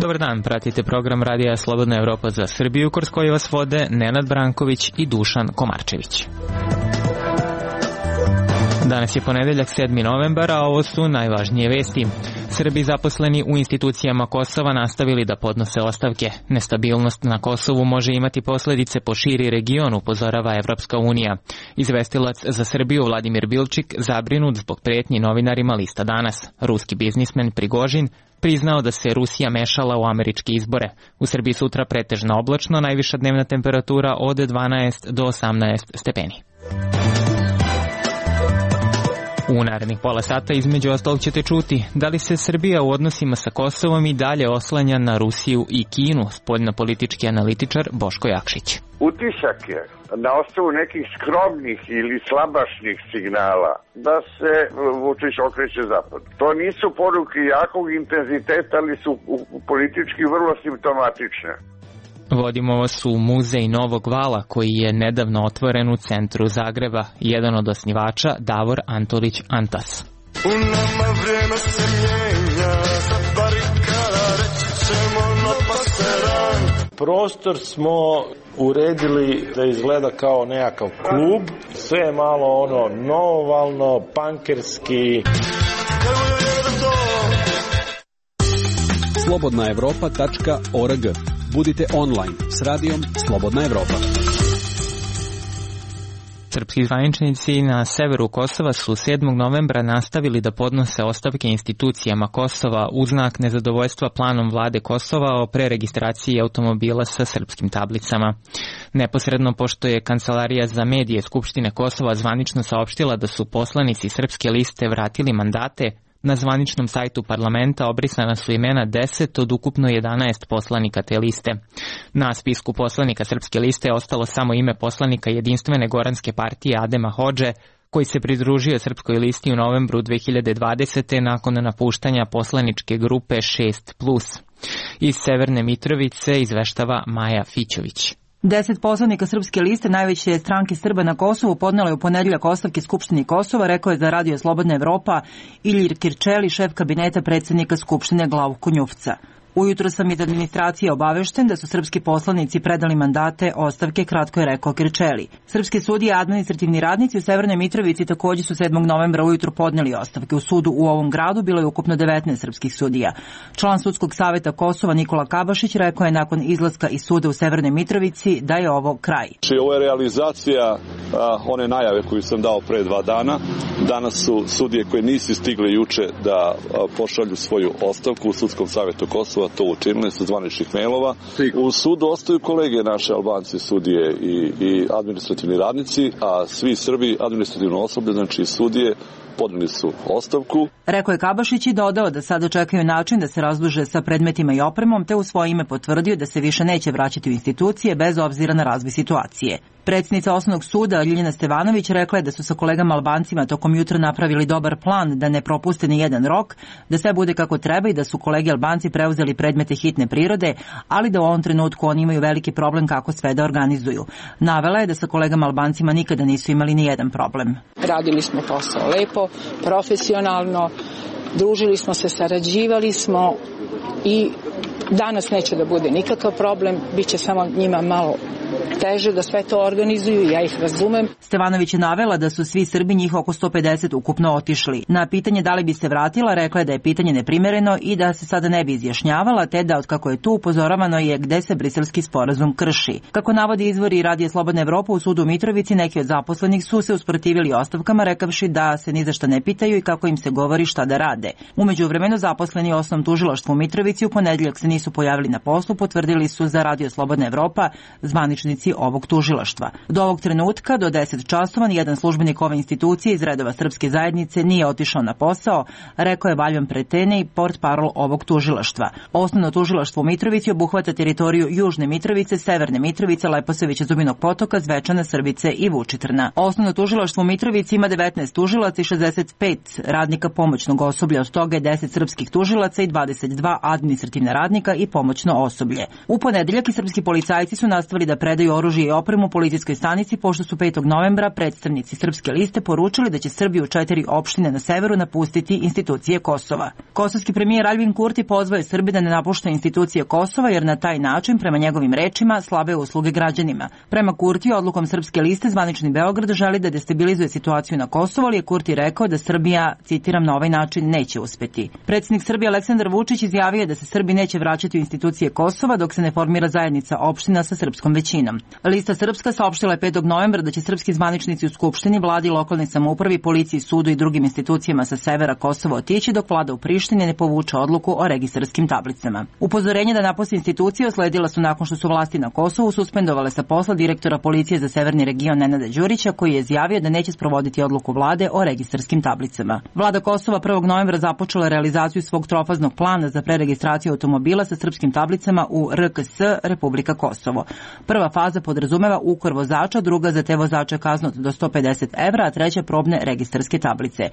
Dobar dan, pratite program Radija Slobodna Evropa za Srbiju, kroz koji vas vode Nenad Branković i Dušan Komarčević. Danas je ponedeljak 7. novembar, a ovo su najvažnije vesti. Srbi zaposleni u institucijama Kosova nastavili da podnose ostavke. Nestabilnost na Kosovu može imati posledice po širi region, upozorava Evropska unija. Izvestilac za Srbiju Vladimir Bilčik zabrinut zbog pretnji novinarima lista Danas. Ruski biznismen Prigožin priznao da se Rusija mešala u američke izbore. U Srbiji sutra pretežno oblačno, najviša dnevna temperatura od 12 do 18 stepeni. U narednih pola sata između ostalog ćete čuti da li se Srbija u odnosima sa Kosovom i dalje oslanja na Rusiju i Kinu, spoljnopolitički analitičar Boško Jakšić. Utisak je na osnovu nekih skromnih ili slabašnih signala da se Vučić okreće zapad. To nisu poruke jakog intenziteta, ali su politički vrlo simptomatične. Vodimo vas u muzej Novog vala koji je nedavno otvoren u centru Zagreba. Jedan od osnivača Davor Antolić Antas. U nama vrijeme se mijenja, sa barikada reći ćemo no paseran. Prostor smo uredili da izgleda kao nekakav klub. Sve je malo novovalno, pankerski. slobodnaevropa.org. Budite online s radijom Slobodna Evropa. Srpski zvaničnici na severu Kosova su 7. novembra nastavili da podnose ostavke institucijama Kosova u znak nezadovoljstva planom vlade Kosova o preregistraciji automobila sa srpskim tablicama. Neposredno pošto je Kancelarija za medije Skupštine Kosova zvanično saopštila da su poslanici Srpske liste vratili mandate, na zvaničnom sajtu parlamenta obrisana su imena 10 od ukupno 11 poslanika te liste. Na spisku poslanika Srpske liste je ostalo samo ime poslanika Jedinstvene Goranske partije Adema Hodže, koji se pridružio Srpskoj listi u novembru 2020. nakon napuštanja poslaničke grupe 6+. Iz Severne Mitrovice izveštava Maja Fićović. 10 poslanika Srpske liste, najveće stranke Srba na Kosovu, podnelo je u ponedeljak ostavke Skupštini Kosova, rekao je za Radio Slobodna Evropa Ilir Kirčeli, šef kabineta predsjednika Skupštine Glavko Njufca. Ujutro sam iz administracije obavešten da su srpski poslanici predali mandate ostavke, kratko je rekao Kirčeli. Srpski sudije i administrativni radnici u Severnoj Mitrovici također su 7. novembra ujutro podneli ostavke. U sudu u ovom gradu bilo je ukupno 19 srpskih sudija. Član Sudskog saveta Kosova Nikola Kabašić rekao je nakon izlaska iz suda u Severnoj Mitrovici da je ovo kraj. Ovo je realizacija one najave koju sam dao pre 2 dana. Danas su sudije koje nisu stigle juče da pošalju svoju ostavku u Sudskom savetu Kosova to učinili sa zvaničnih mailova. U sudu ostaju kolege naše Albanci, sudije i administrativni radnici, a svi Srbi administrativno osoblje, znači sudije, podneli su ostavku. Rekao je Kabašić i dodao da sada čekaju način da se razduže sa predmetima i opremom, te u svoje ime potvrdio da se više neće vraćati u institucije bez obzira na razvoj situacije. Predsjednica Osnovnog suda Ljiljana Stevanović rekla je da su sa kolegama Albancima tokom jutra napravili dobar plan da ne propuste ni jedan rok, da sve bude kako treba i da su kolege Albanci preuzeli predmete hitne prirode, ali da u ovom trenutku oni imaju veliki problem kako sve da organizuju. Navela je da sa kolegama Albancima nikada nisu imali ni jedan problem. Radili smo posao lepo, profesionalno, družili smo se, sarađivali smo i danas neće da bude nikakav problem, bit će samo njima malo teže da sve to organizuju, ja ih razumem. Stevanović je navela da su svi Srbi, njih oko 150, ukupno otišli. Na pitanje da li bi se vratila, rekla je da je pitanje neprimereno i da se sada ne bi izjašnjavala, te da otkako je tu upozoravano je gde se briselski sporazum krši. Kako navodi izvori Radija Slobodna Evropa, u sudu u Mitrovici neki od zaposlenih su se usprotivili ostavkama, rekavši da se ni za šta ne pitaju i kako im se govori šta da rade. U međuvremenu zaposleni u Osnovnom tužilaštvu u Mitrovici u ponedeljak se nisu pojavili na poslu, potvrdili su za Radio Slobodna Evropa zvaničnici ovog tužilaštva. Do ovog trenutka, do 10 časova, nijedan službenik ove institucije iz redova srpske zajednice nije otišao na posao, rekao je Valjan Pretene, portparol ovog tužilaštva. Osnovno tužilaštvo u Mitrovici obuhvata teritoriju Južne Mitrovice, Severne Mitrovice, Leposavića, Zubinog Potoka, Zvečana, Srbice i Vučitrna. Osnovno tužilaštvo u Mitrovici ima 19 tužilaca i 65 radnika pomoćnog osoblja, od toga je 10 srpskih tužilaca i 22 administrativna radnika, tehnika i pomoćno osoblje. U ponedeljak i srpski policajci su nastavili da predaju oružje i opremu policijskoj stanici, pošto su 5. novembra predstavnici Srpske liste poručili da će Srbiju 4 opštine na severu napustiti institucije Kosova. Kosovski premijer Aljbin Kurti pozvao je Srbi da ne napušta institucije Kosova, jer na taj način, prema njegovim rečima, slabe usluge građanima. Prema Kurtiju, odlukom Srpske liste, zvanični Beograd želi da destabilizuje situaciju na Kosovu, ali je Kurti rekao da Srbija, citiram, na ovaj način neće uspeti. Predsjednik Srbije Aleksandar Vučić izjavio da se Srbi neće vraćati u institucije Kosova dok se ne formira zajednica opština sa srpskom većinom. Lista Srpska saopštila je 5. novembra da će srpski zvaničnici u Skupštini, vladi, lokalnoj samoupravi, policiji, sudu i drugim institucijama sa severa Kosova otići dok vlada u Prištini ne povuče odluku o registarskim tablicama. Upozorenje da napusti institucije usledila su nakon što su vlasti na Kosovu suspendovale sa posla direktora policije za severni region Nenada Đurića, koji je izjavio da neće sprovoditi odluku vlade o registarskim tablicama. Vlada Kosova 1. novembra započela realizaciju svog trofaznog plana za preregistraciju automobila sa srpskim tablicama u RKS Republika Kosovo. Prva faza podrazumeva ukor vozača, druga za te vozače kaznu do 150 evra, a treća probne registarske tablice.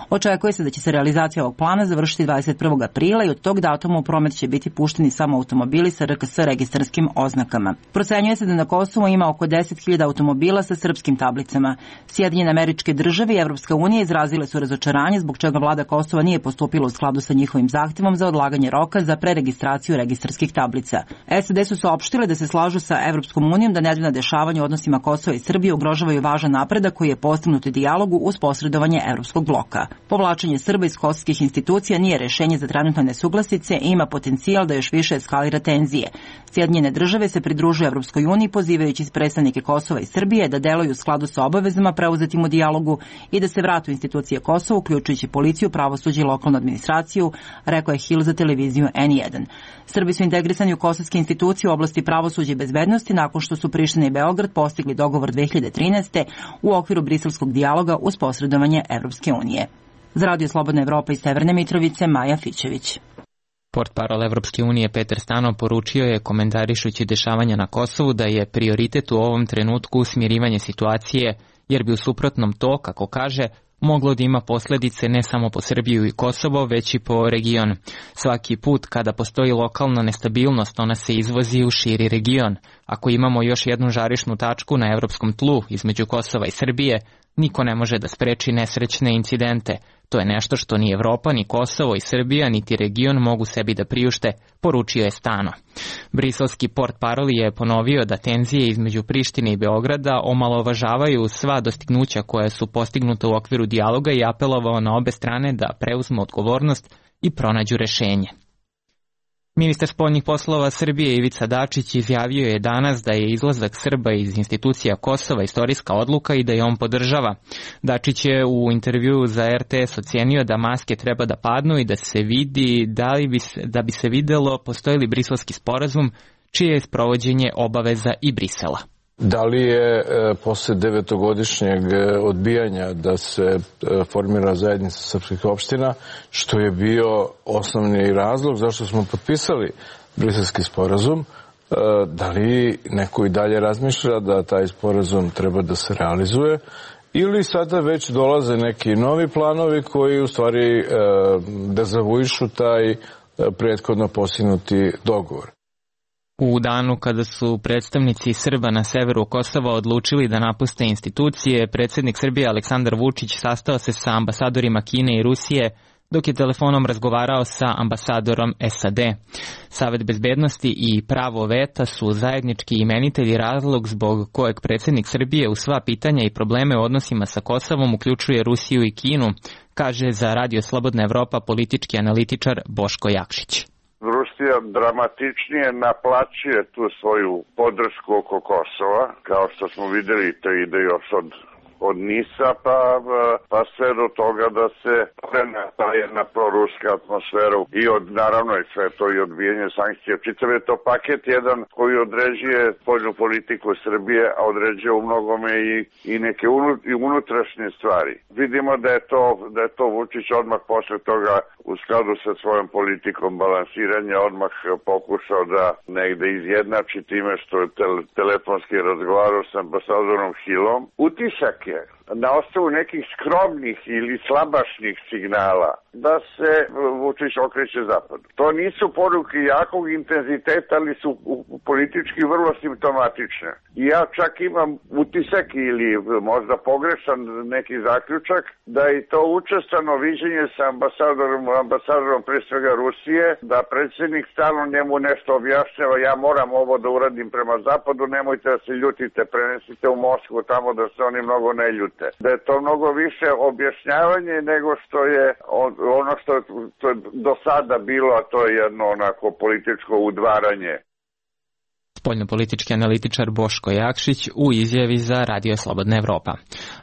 Očekuje se da će se realizacija ovog plana završiti 21. aprila i od tog datuma u promet će biti pušteni samo automobili sa RKS registarskim oznakama. Procenjuje se da na Kosovu ima oko 10.000 automobila sa srpskim tablicama. Sjedinjene Američke Države i Evropska unija izrazile su razočaranje zbog čega vlada Kosova nije postupila u skladu sa njihovim zahtevom za odlaganje roka za preregistraciju registarskih tablica. SAD su saopštile da se slažu sa Evropskom unijom da nedavna dešavanja u odnosima Kosova i Srbije ugrožavaju važan napredak koji je postignut u dijalogu uz posredovanje Evropskog bloka. Povlačenje Srba iz kosovskih institucija nije rešenje za trenutne nesuglasice i ima potencijal da još više eskalira tenzije. Sjedinjene Države se pridružuju Evropskoj uniji pozivajući predstavnike Kosova i Srbije da deluju u skladu sa obavezama preuzetim u dijalogu i da se vratu institucije Kosova, uključujući policiju, pravosuđe i lokalnu administraciju, rekao je Hill za televiziju N1. Srbi su integrisani u kosovske institucije u oblasti pravosuđa i bezbednosti nakon što su Priština i Beograd postigli dogovor 2013. u okviru briselskog dijaloga uz posredovanje Evropske unije. Za Radio Slobodna Evropa iz Severne Mitrovice, Maja Fićević. Portparol Evropske unije Petar Stanov poručio je, komentarišući dešavanja na Kosovu, da je prioritet u ovom trenutku smirivanje situacije, jer bi u suprotnom to, kako kaže, moglo da ima posledice ne samo po Srbiju i Kosovo, već i po region. Svaki put kada postoji lokalna nestabilnost, ona se izvozi u širi region. Ako imamo još jednu žarišnu tačku na evropskom tlu između Kosova i Srbije, niko ne može da spreči nesrećne incidente. To je nešto što ni Evropa, ni Kosovo i Srbija, niti region mogu sebi da priušte, poručio je Stano. Briselski portparol je ponovio da tenzije između Prištine i Beograda omalovažavaju sva dostignuća koja su postignuta u okviru dijaloga i apelovao na obe strane da preuzmu odgovornost i pronađu rešenje. Ministar spoljnih poslova Srbije Ivica Dačić izjavio je danas da je izlazak Srba iz institucija Kosova istorijska odluka i da je on podržava. Dačić je u intervjuu za RTS ocenio da maske treba da padnu i da se vidi da bi se videlo postoji li briselski sporazum čije je sprovođenje obaveza i Brisela. Da li je posle 9-godišnjeg odbijanja da se formira zajednica srpskih opština, što je bio osnovni razlog zašto smo potpisali briselski sporazum, da li neko i dalje razmišlja da taj sporazum treba da se realizuje ili sada već dolaze neki novi planovi koji u stvari dezavuišu taj prethodno postignuti dogovor. U danu kada su predstavnici Srba na severu Kosova odlučili da napuste institucije, predsjednik Srbije Aleksandar Vučić sastao se sa ambasadorima Kine i Rusije, dok je telefonom razgovarao sa ambasadorom SAD. Savet bezbednosti i pravo veta su zajednički imenitelji, razlog zbog kojeg predsjednik Srbije u sva pitanja i probleme u odnosima sa Kosovom uključuje Rusiju i Kinu, kaže za Radio Slobodna Evropa politički analitičar Boško Jakšić. Rusija dramatičnije naplaćuje tu svoju podršku oko Kosova, kao što smo vidjeli, to ide još od Nisa pa sve do toga da se prena ta jedna proruska atmosfera i naravno i sve to i odbijanje sankcija. Čitav je to paket jedan koji određuje spoljnu politiku Srbije, a određuje u mnogome i neke unutrašnje stvari. Vidimo da je to Vučić odmah posle toga u skladu sa svojom politikom balansiranja odmah pokušao da negde izjednači time što je telefonski razgovarao sa ambasadorom Hillom. Utisak je na osnovu nekih skromnih ili slabašnih signala da se Vučić okreće zapadu. To nisu poruke jakog intenziteta, ali su politički vrlo simptomatične. I ja čak imam utisak ili možda pogrešan neki zaključak da je to učestveno viđenje sa ambasadorom pre svega Rusije, da predsjednik stalno njemu nešto objašnjava, ja moram ovo da uradim prema zapadu, nemojte da se ljutite, prenesite u Moskvu tamo da se oni mnogo ne ljute. Da je to mnogo više objašnjavanje nego što je ono što je do sada bilo, a to je jedno onako političko udvaranje. Spoljnopolitički analitičar Boško Jakšić u izjavi za Radio Slobodna Evropa.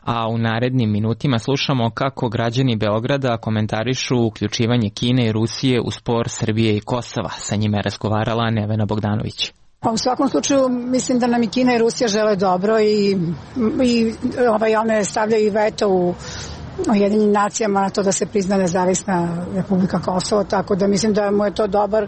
A u narednim minutima slušamo kako građani Beograda komentarišu uključivanje Kine i Rusije u spor Srbije i Kosova. Sa njima je razgovarala Nevena Bogdanović. U svakom slučaju mislim da nam i Kina i Rusija žele dobro i one stavljaju veto u Ujedinjenim nacijama na to da se prizna nezavisna Republika Kosovo, tako da mislim da mu je to dobar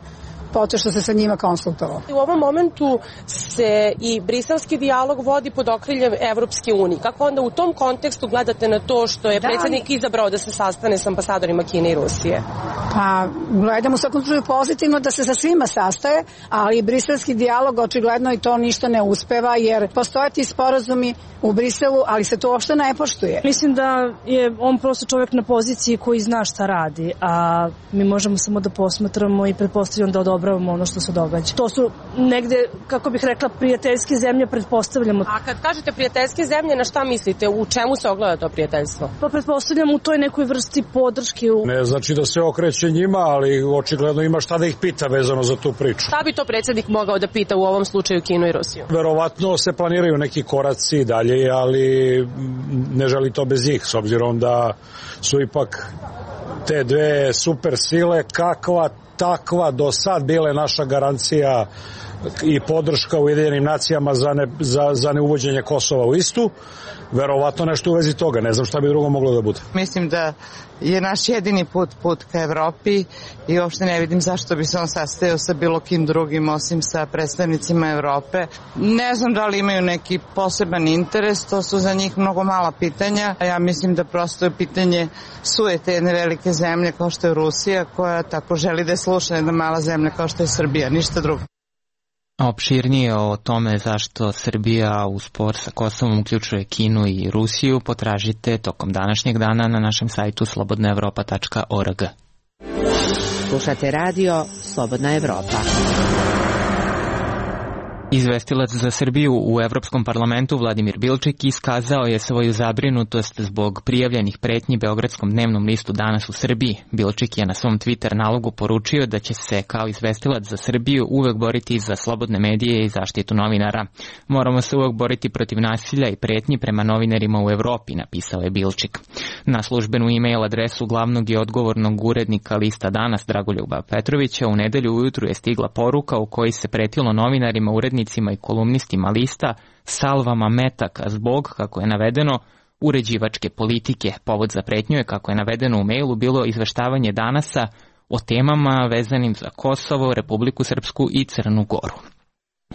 potez što se sa njima konsultovao. U ovom momentu se i briselski dijalog vodi pod okriljem Evropske unije. Kako onda u tom kontekstu gledate na to što je predsjednik izabrao da se sastane s ambasadorima Kine i Rusije? Pa gledam u svakom slučaju pozitivno da se sa svima sastaje, ali briselski dijalog očigledno i to ništa ne uspeva, jer postoje ti sporazumi u Briselu, ali se to uopšte ne poštuje. Mislim da je on prosto čovjek na poziciji koji zna šta radi, a mi možemo samo da posmatramo i pretpostavljamo da odobravamo ono što se događa. To su negde, kako bih rekla, prijateljske zemlje, pretpostavljamo. A kad kažete prijateljske zemlje, na šta mislite? U čemu se ogleda to prijateljstvo? Pa pretpostavljamo u toj nekoj vrsti podrške. Ne znači da se okreće njima, ali očigledno ima šta da ih pita vezano za tu priču. Šta bi to predsjednik mogao da pita u ovom slučaju Kinu i Rusiju? Verovatno se planiraju neki koraci dalje, ali ne želi to bez njih, s obzirom da su ipak te dve super sile, kakva takva do sad bile naša garancija i podrška Ujedinjenim nacijama za neuvođenje Kosova u istu. Verovatno nešto u vezi toga, ne znam šta bi drugo moglo da bude. Mislim da je naš jedini put ka Evropi i uopšte ne vidim zašto bi se on sastajao sa bilo kim drugim osim sa predstavnicima Evrope. Ne znam da li imaju neki poseban interes, to su za njih mnogo mala pitanja. Ja mislim da prosto je pitanje sujete jedne velike zemlje kao što je Rusija, koja tako želi da je sluša jedna mala zemlja kao što je Srbija, ništa drugo. Opširnije o tome zašto Srbija u spor sa Kosovom uključuje Kinu i Rusiju potražite tokom današnjeg dana na našem sajtu slobodnaevropa.org. Slušate radio Slobodna Evropa. Izvestilac za Srbiju u Evropskom parlamentu Vladimir Bilčik iskazao je svoju zabrinutost zbog prijavljenih pretnji Beogradskom dnevnom listu Danas u Srbiji. Bilčik je na svom Twitter nalogu poručio da će se kao izvestilac za Srbiju uvek boriti za slobodne medije i zaštitu novinara. Moramo se uvek boriti protiv nasilja i pretnji prema novinarima u Evropi, napisao je Bilčik. Na službenu e-mail adresu glavnog i odgovornog urednika lista Danas Dragoljuba Petrovića u nedelju ujutru je stigla poruka u kojoj se pretilo novinarima, urednicima i kolumnistima lista salvama metaka zbog, kako je navedeno, uređivačke politike. Povod za pretnju je, kako je navedeno u mailu, bilo izveštavanje Danasa o temama vezanim za Kosovo, Republiku Srpsku i Crnu Goru.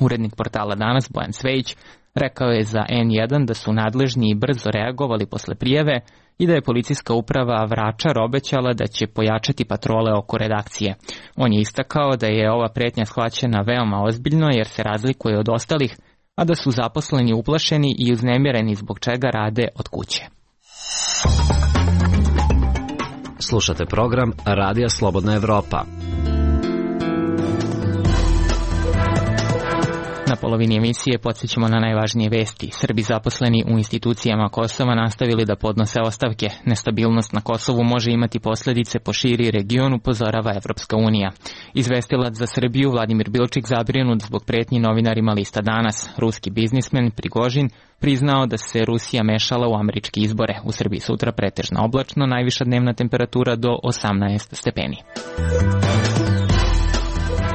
Urednik portala Danas, Bojan Cvejić, rekao je za N1 da su nadležni i brzo reagovali posle prijave i da je policijska uprava Vračar obećala da će pojačati patrole oko redakcije. On je istakao da je ova pretnja shvaćena veoma ozbiljno jer se razlikuje od ostalih, a da su zaposleni uplašeni i uznemireni zbog čega rade od kuće. Slušate program Radija Slobodna Evropa. Na polovini emisije podsjećamo na najvažnije vesti. Srbi zaposleni u institucijama Kosova nastavili da podnose ostavke. Nestabilnost na Kosovu može imati posljedice po širi region, upozorava Evropska unija. Izvestilac za Srbiju Vladimir Bilčik zabrinut zbog pretnji novinarima lista Danas. Ruski biznismen Prigožin priznao da se Rusija mešala u američke izbore. U Srbiji sutra pretežno oblačno, najviša dnevna temperatura do 18 stepeni.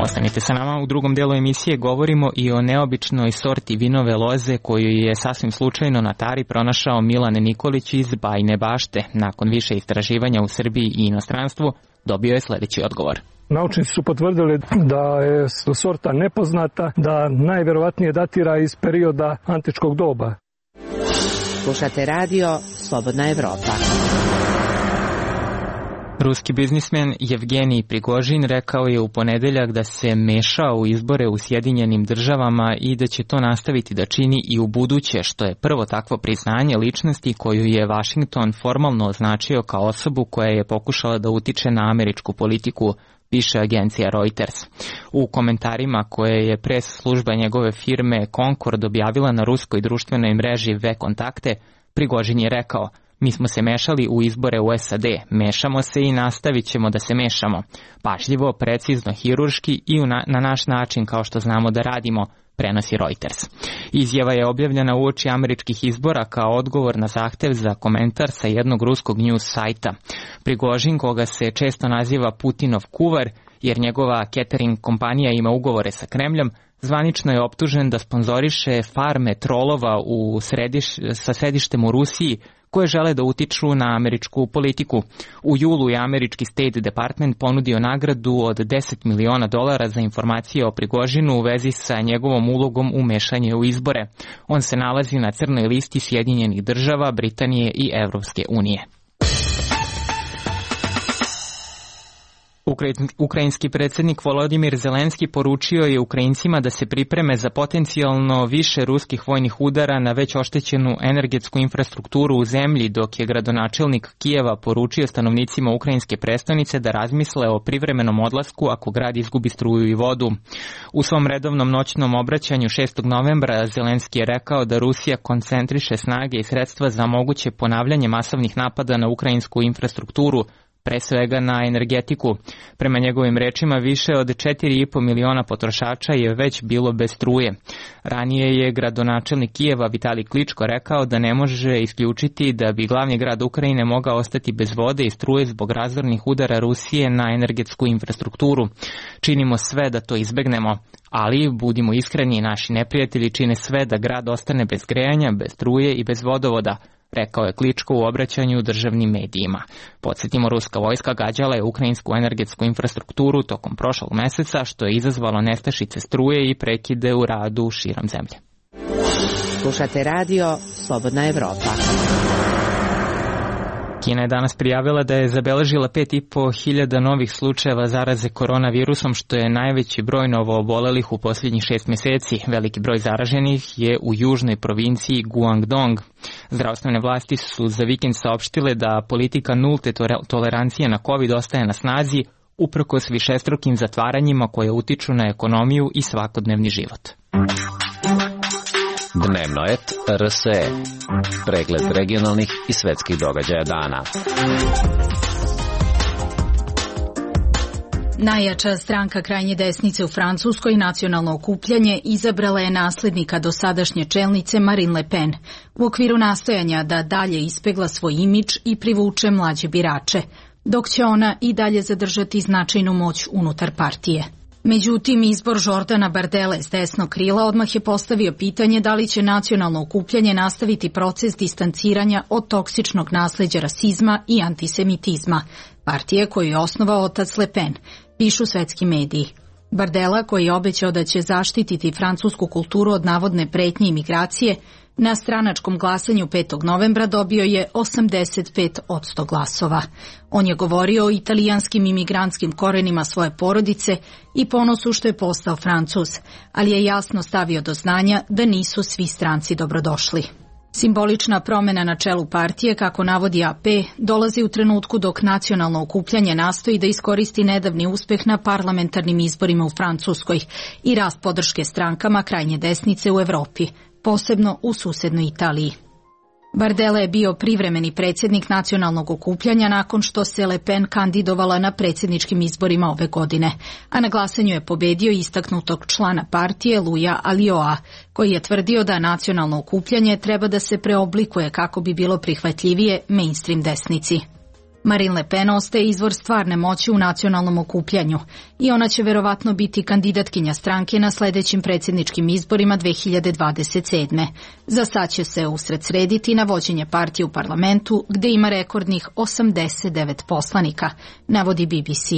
Ostanite sa nama, u drugom delu emisije govorimo i o neobičnoj sorti vinove loze koju je sasvim slučajno na Tari pronašao Milan Nikolić iz Bajine Bašte. Nakon više istraživanja u Srbiji i inostranstvu dobio je sledeći odgovor. Naučnici su potvrdili da je sorta nepoznata, da najverovatnije datira iz perioda antičkog doba. Slušate radio Slobodna Evropa. Ruski biznismen Jevgenij Prigožin rekao je u ponedeljak da se mešao u izbore u Sjedinjenim Državama i da će to nastaviti da čini i u buduće, što je prvo takvo priznanje ličnosti koju je Washington formalno označio kao osobu koja je pokušala da utiče na američku politiku, piše agencija Reuters. U komentarima koje je pres služba njegove firme Concord objavila na ruskoj društvenoj mreži V-kontakte, Prigožin je rekao: "Mi smo se mešali u izbore u SAD, mešamo se i nastavit ćemo da se mešamo. Pažljivo, precizno, hirurški i na naš način kao što znamo da radimo", prenosi Reuters. Izjava je objavljena uoči američkih izbora kao odgovor na zahtev za komentar sa jednog ruskog news sajta. Prigožin, koga se često naziva Putinov kuvar, jer njegova catering kompanija ima ugovore sa Kremljom, zvanično je optužen da sponzoriše farme trolova sa središtem u Rusiji koje žele da utiču na američku politiku. U julu je američki State Department ponudio nagradu od $10 miliona za informacije o Prigožinu u vezi sa njegovom ulogom u mešanje u izbore. On se nalazi na crnoj listi Sjedinjenih Država, Britanije i Evropske unije. Ukrajinski predsjednik Volodimir Zelenski poručio je Ukrajincima da se pripreme za potencijalno više ruskih vojnih udara na već oštećenu energetsku infrastrukturu u zemlji, dok je gradonačelnik Kijeva poručio stanovnicima ukrajinske prestonice da razmisle o privremenom odlasku ako grad izgubi struju i vodu. U svom redovnom noćnom obraćanju 6. novembra Zelenski je rekao da Rusija koncentriše snage i sredstva za moguće ponavljanje masovnih napada na ukrajinsku infrastrukturu, pre svega na energetiku. Prema njegovim rečima, više od 4,5 miliona potrošača je već bilo bez struje. Ranije je gradonačelnik Kijeva Vitali Kličko rekao da ne može isključiti da bi glavni grad Ukrajine mogao ostati bez vode i struje zbog razornih udara Rusije na energetsku infrastrukturu. Činimo sve da to izbegnemo, ali budimo iskreni, naši neprijatelji čine sve da grad ostane bez grejanja, bez struje i bez vodovoda, rekao je Kličko u obraćanju državnim medijima. Podsjetimo, ruska vojska gađala je ukrajinsku energetsku infrastrukturu tokom prošlog meseca, što je izazvalo nestašice struje i prekide u radu širom zemlje. Slušate radio Slobodna Evropa. Kina je danas prijavila da je zabeležila 5.500 novih slučajeva zaraze koronavirusom, što je najveći broj novoobolelih u posljednjih 6 mjeseci. Veliki broj zaraženih je u južnoj provinciji Guangdong. Zdravstvene vlasti su za vikend saopštile da politika nulte tolerancije na COVID ostaje na snazi, uprkos višestrukim zatvaranjima koje utiču na ekonomiju i svakodnevni život. Dnevno et RSE. Pregled regionalnih i svetskih događaja dana. Najjača stranka krajnje desnice u Francuskoj, Nacionalno okupljanje, izabrala je naslednika dosadašnje čelnice Marine Le Pen u okviru nastojanja da dalje ispegla svoj imidž i privuče mlađe birače, dok će ona i dalje zadržati značajnu moć unutar partije. Međutim, izbor Jordana Bardelle s desnog krila odmah je postavio pitanje da li će Nacionalno okupljanje nastaviti proces distanciranja od toksičnog nasleđa rasizma i antisemitizma, partije koju je osnovao otac Le Pen, pišu svetski mediji. Bardella, koji je obećao da će zaštititi francusku kulturu od navodne pretnje i migracije, na stranačkom glasanju 5. novembra dobio je 85% glasova. On je govorio o italijanskim imigrantskim korenima svoje porodice i ponosu što je postao Francuz, ali je jasno stavio do znanja da nisu svi stranci dobrodošli. Simbolična promjena na čelu partije, kako navodi AP, dolazi u trenutku dok Nacionalno okupljanje nastoji da iskoristi nedavni uspeh na parlamentarnim izborima u Francuskoj i rast podrške strankama krajnje desnice u Evropi, posebno u susednoj Italiji. Bardella je bio privremeni predsjednik Nacionalnog okupljanja nakon što se Le Pen kandidovala na predsjedničkim izborima ove godine, a na glasanju je pobedio istaknutog člana partije Louisa Alioa, koji je tvrdio da Nacionalno okupljanje treba da se preoblikuje kako bi bilo prihvatljivije mainstream desnici. Marine Le Pen ostaje izvor stvarne moći u nacionalnom okupljanju i ona će verovatno biti kandidatkinja stranke na sledećim predsjedničkim izborima 2027. Za sad će se usredsrediti na vođenje partije u parlamentu gde ima rekordnih 89 poslanika, navodi BBC.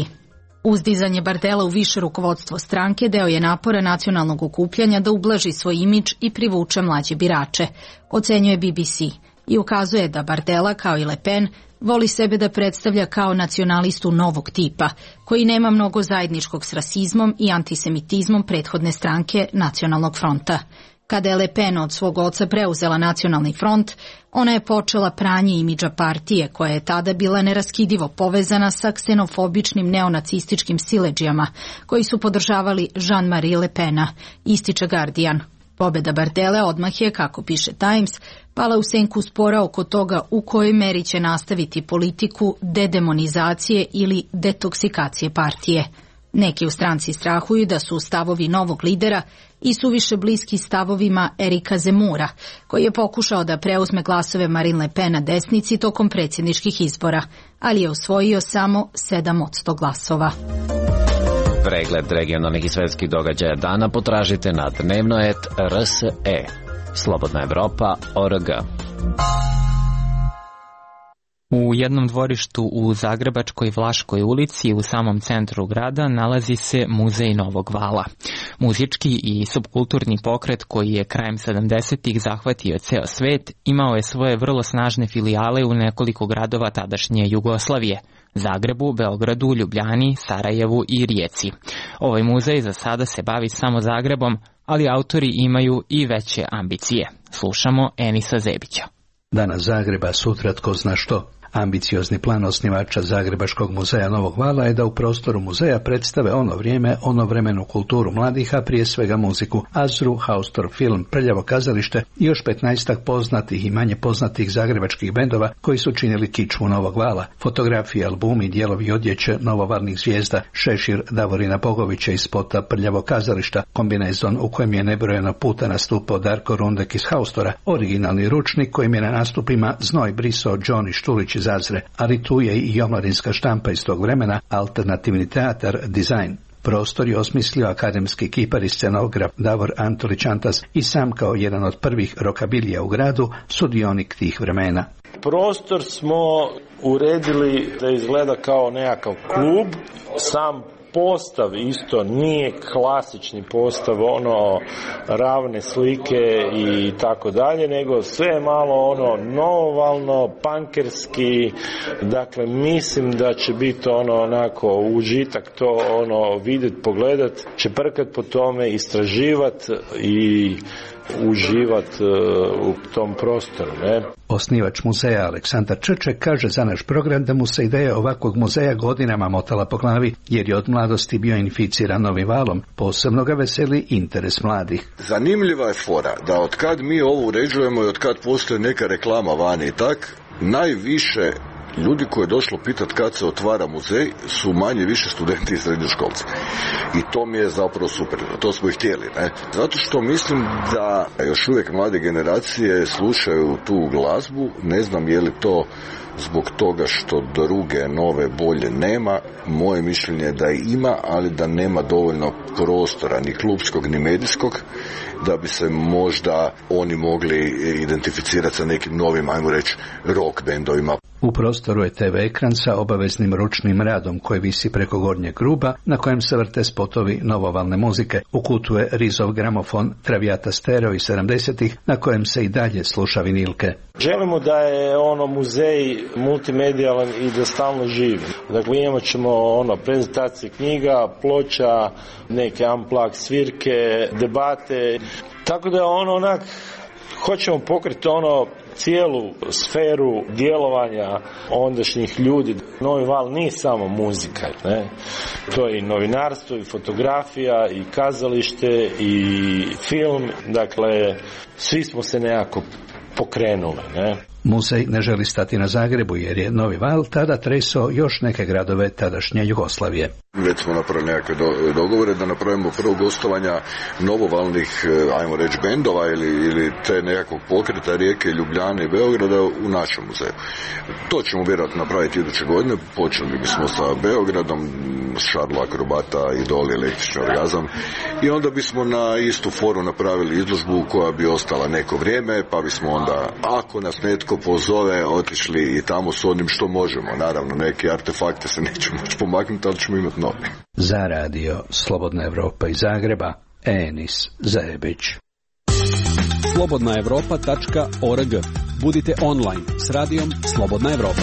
Uzdizanje Bardella u više rukovodstvo stranke deo je napora nacionalnog okupljanja da ublaži svoj imidž i privuče mlađe birače, ocenjuje BBC, i ukazuje da Bardella, kao i Le Pen, voli sebe da predstavlja kao nacionalistu novog tipa, koji nema mnogo zajedničkog s rasizmom i antisemitizmom prethodne stranke Nacionalnog fronta. Kada je Le Pen od svog oca preuzela Nacionalni front, ona je počela pranje imidža partije, koja je tada bila neraskidivo povezana sa ksenofobičnim neonacističkim siledžijama, koji su podržavali Jean-Marie Le Pena, ističe Guardian. Pobeda Bardelle odmah je, kako piše Times, pala u senku spora oko toga u kojoj meri će nastaviti politiku dedemonizacije ili detoksikacije partije. Neki u stranci strahuju da su stavovi novog lidera i suviše bliski stavovima Erika Zemura, koji je pokušao da preuzme glasove Marine Le Pen na desnici tokom predsjedničkih izbora, ali je osvojio samo 7% glasova. Pregled regionalnih i svetskih događaja dana potražite na dnevnoet.rse. Slobodna Evropa.org. U jednom dvorištu u Zagrebačkoj Vlaškoj ulici u samom centru grada nalazi se Muzej Novog vala. Muzički i subkulturni pokret koji je krajem 70-ih zahvatio ceo svet imao je svoje vrlo snažne filijale u nekoliko gradova tadašnje Jugoslavije: Zagrebu, Beogradu, Ljubljani, Sarajevu i Rijeci. Ovaj muzej za sada se bavi samo Zagrebom, ali autori imaju i veće ambicije. Slušamo Enisa Zebića. Danas Zagreba, sutra tko zna što. Ambiciozni plan osnivača Zagrebačkog muzeja Novog vala je da u prostoru muzeja predstave ono vrijeme, onovremenu kulturu mladih, a prije svega muziku, Azru, Haustor film, Prljavo kazalište i još 15 poznatih i manje poznatih zagrebačkih bendova koji su činili kičmu Novog vala. Fotografije, albumi, dijelovi odjeće novovalnih zvijezda, šešir Davorina Bogovića iz spota Prljavo kazališta, kombinezon u kojem je nebrojeno puta nastupao Darko Rundek iz Haustora, originalni ručnik kojim je na nastupima znoj brisao Đoni Štulić iz Azre, ali tu je i omladinska štampa iz tog vremena, alternativni teatar, dizajn. Prostor je osmislio akademski kipar i scenograf Davor Antolić Antas i sam kao jedan od prvih rokabilija u gradu, sudionik tih vremena. Prostor smo uredili da izgleda kao nekakav klub, sam postav isto nije klasični postav, ravne slike i tako dalje, nego sve je malo novovalno, pankerski, dakle mislim da će biti onako užitak to vidjeti, pogledat, čeprkat po tome, istraživat i uživat u tom prostoru, ne? Osnivač muzeja Aleksandar Črček kaže za naš program da mu se ideja ovakvog muzeja godinama motala po glavi, jer je od mladosti bio inficiran novim valom. Posebno ga veseli interes mladih. Zanimljiva je fora da od kad mi ovo uređujemo i od kad postoji neka reklama vani i tak, najviše ljudi koji je došlo pitat kad se otvara muzej su manje više studenti i srednjoškolci. I to mi je zapravo super. To smo i htjeli, ne? Zato što mislim da još uvijek mlade generacije slušaju tu glazbu. Ne znam je li to zbog toga što druge, nove, bolje nema. Moje mišljenje je da ima, ali da nema dovoljno prostora, ni klubskog, ni medijskog, da bi se možda oni mogli identificirati sa nekim novim, ajmo reći, rock bendovima. U prostoru je TV ekran sa obaveznim ručnim radom koji visi preko gornjeg ruba, na kojem se vrte spotovi novovalne muzike. U kutu je Rizov gramofon Traviata Stereo iz 70-ih, na kojem se i dalje sluša vinilke. Želimo da je muzej multimedijalan i da stalno živi. Dakle, imat ćemo prezentacije knjiga, ploča, neke unplugged svirke, debate. Tako da hoćemo pokriti cijelu sferu djelovanja ondašnjih ljudi. Novi val nije samo muzika, ne? To je i novinarstvo, i fotografija, i kazalište, i film. Dakle, svi smo se nekako pokrenuli, ne? Muzej ne želi stati na Zagrebu jer je Novi val tada tresao još neke gradove tadašnje Jugoslavije. Već smo napravili nekakve dogovore da napravimo prvo gostovanja novovalnih, ajmo reći, bendova ili te nekakvog pokreta Rijeke, Ljubljane i Beograda u našem muzeju. To ćemo vjerojatno napraviti iduće godine. Počeli bismo sa Beogradom, Šarlo Akrobata, Idol, Električni orgazam, i onda bismo na istu foru napravili izložbu koja bi ostala neko vrijeme, pa bismo onda, ako nas netko pozove, otišli i tamo s onim što možemo. Naravno, neki artefakte se nećemo moći pomaknuti, ali ćemo imati novi. Za radio Slobodna Evropa iz Zagreba, Enis Zajebić. slobodnaevropa.org. Budite online s radijom Slobodna Evropa.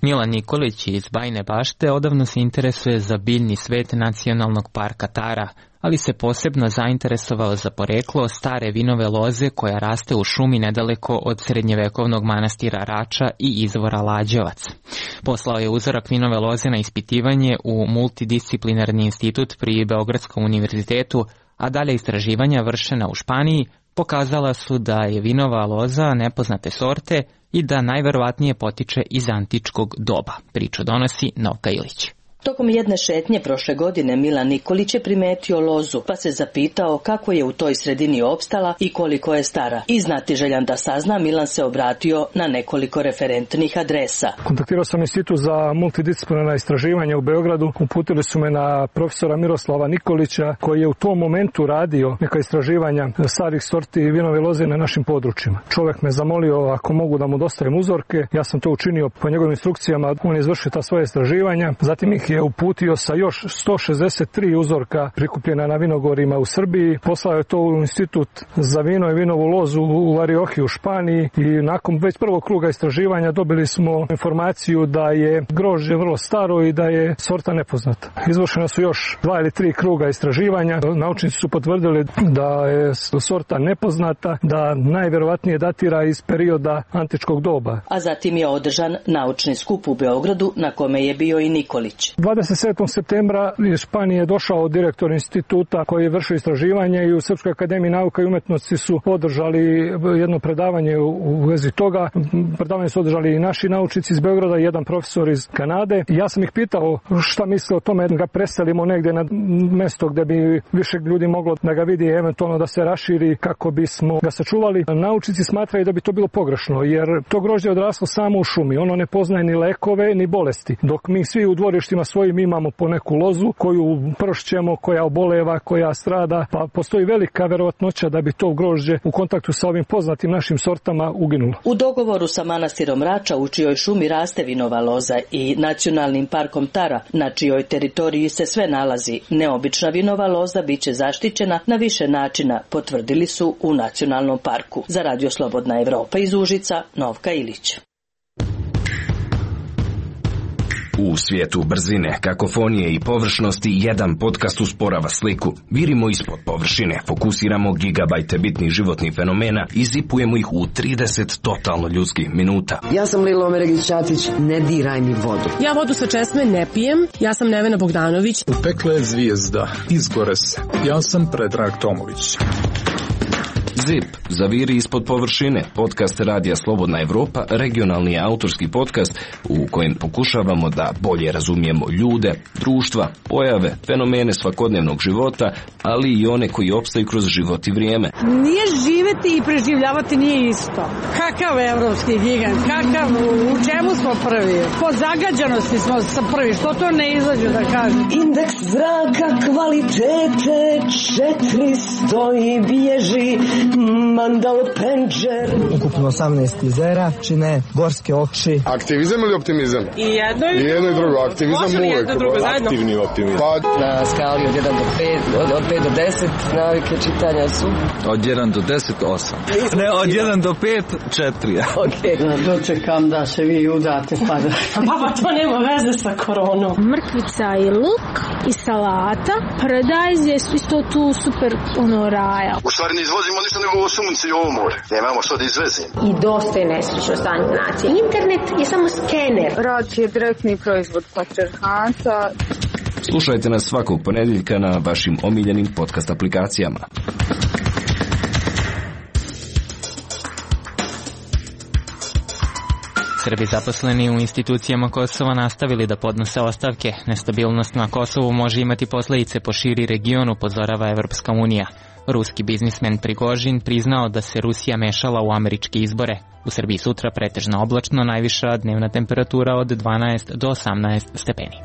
Milan Nikolić iz Bajine Bašte odavno se interesuje za biljni svet nacionalnog parka Tara, ali se posebno zainteresovao za poreklo stare vinove loze koja raste u šumi nedaleko od srednjevekovnog manastira Rača i izvora Lađevac. Poslao je uzorak vinove loze na ispitivanje u multidisciplinarni institut pri Beogradskom univerzitetu, a dalje istraživanja vršena u Španiji pokazala su da je vinova loza nepoznate sorte i da najverovatnije potiče iz antičkog doba. Priču donosi Novka Ilić. Tokom jedne šetnje prošle godine Milan Nikolić je primetio lozu, pa se zapitao kako je u toj sredini opstala i koliko je stara. I znatiželjan da sazna, Milan se obratio na nekoliko referentnih adresa. Kontaktirao sam institut za multidisciplinarna istraživanja u Beogradu. Uputili su me na profesora Miroslava Nikolića, koji je u tom momentu radio neka istraživanja starih sorti vinove loze na našim područjima. Čovjek me zamolio ako mogu da mu dostavim uzorke. Ja sam to učinio po njegovim instrukcijama. On je izvršio ta svoje istraživanja. Zatim ih je uputio sa još 163 uzorka prikupljena na vinogorima u Srbiji. Poslao je to u institut za vino i vinovu lozu u Lariohi u Španiji i nakon već prvog kruga istraživanja dobili smo informaciju da je grožđe vrlo staro i da je sorta nepoznata. Izvršena su još 2 ili 3 kruga istraživanja. Naučnici su potvrdili da je sorta nepoznata, da najverovatnije datira iz perioda antičkog doba. A zatim je održan naučni skup u Beogradu na kome je bio i Nikolić. 27. septembra iz Španije došao direktor instituta koji je vršio istraživanje i u Srpskoj akademiji nauka i umetnosti su održali jedno predavanje u vezi toga. Predavanje su održali i naši naučnici iz Beograda i jedan profesor iz Kanade. Ja sam ih pitao šta misle o tome da ga preselimo negdje na mesto gdje bi više ljudi moglo da ga vidi, eventualno da se raširi kako bismo ga sačuvali. Naučnici smatraju da bi to bilo pogrešno jer to grožđe je odraslo samo u šumi. Ono ne poznaje ni lekove ni bolesti. Dok mi svi u dvorištima svojim imamo po neku lozu koju pršćemo, koja oboleva, koja strada, pa postoji velika verovatnoća da bi to grožđe u kontaktu sa ovim poznatim našim sortama uginulo. U dogovoru sa manastirom Rača u čijoj šumi raste vinova loza i nacionalnim parkom Tara, na čijoj teritoriji se sve nalazi, neobična vinova loza biće zaštićena na više načina, potvrdili su u nacionalnom parku. Za Radio Slobodna Evropa iz Užica, Novka Ilić. U svijetu brzine, kakofonije i površnosti jedan podcast usporava sliku. Virimo ispod površine, fokusiramo gigabajte bitnih životnih fenomena i zipujemo ih u 30 totalno ljudskih minuta. Ja sam Lilo Omeregić-Ćatić, ne diraj mi vodu. Ja vodu sa česme ne pijem, ja sam Nevena Bogdanović. U pekle je zvijezda, izgore se. Ja sam Predrag Tomović. ZIP, zaviri ispod površine, podcast Radija Slobodna Evropa, regionalni autorski podcast u kojem pokušavamo da bolje razumijemo ljude, društva, pojave, fenomene svakodnevnog života, ali i one koji opstaju kroz život i vrijeme. Nije živeti i preživljavati nije isto. Kakav evropski gigant, kakav, u čemu smo prvi? Po zagađanosti smo sa prvi, što to ne izađe da kažem? Indeks zraka kvalitete 400 i bježi Mandal Penđer. Ukupno 18 jezera čine gorske oči. Aktivizam ili optimizam? I jedno i drugo. Aktivizam uvijek. Aktivni optimizam. Na skali od 1 do 5, od 5 do 10 navike čitanja su? Od 1 do 10, 8. Ne, od 1 do 5, 4. Ok. Dočekam da se vi udate pa da... Baba, to nema veze sa koronom. Mrkvica i luk i salata. Paradajz je isto tu super raja. U stvari ne izvozimo ništa nego ovo sunce i ovo more. Nemamo što da izvezimo. I dosta je nesrećno stanje nacije. Internet je samo skener. Rad je direktni proizvod patrijarhata. Slušajte nas svakog ponedjeljka na vašim omiljenim podcast aplikacijama. Srbi zaposleni u institucijama Kosova nastavili da podnose ostavke. Nestabilnost na Kosovu može imati posledice po širi region, upozorava Evropska unija. Ruski biznismen Prigožin priznao da se Rusija mešala u američke izbore. U Srbiji sutra pretežno oblačno, najviša dnevna temperatura od 12 do 18 stepeni.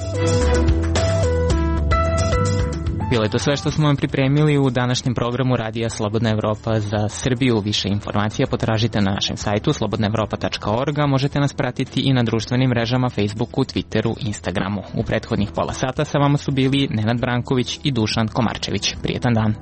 Bilo je to sve što smo vam pripremili u današnjem programu Radija Slobodna Evropa za Srbiju. Više informacija potražite na našem sajtu slobodnaevropa.org, a možete nas pratiti i na društvenim mrežama Facebooku, Twitteru, Instagramu. U prethodnih pola sata sa vama su bili Nenad Branković i Dušan Komarčević. Prijetan dan.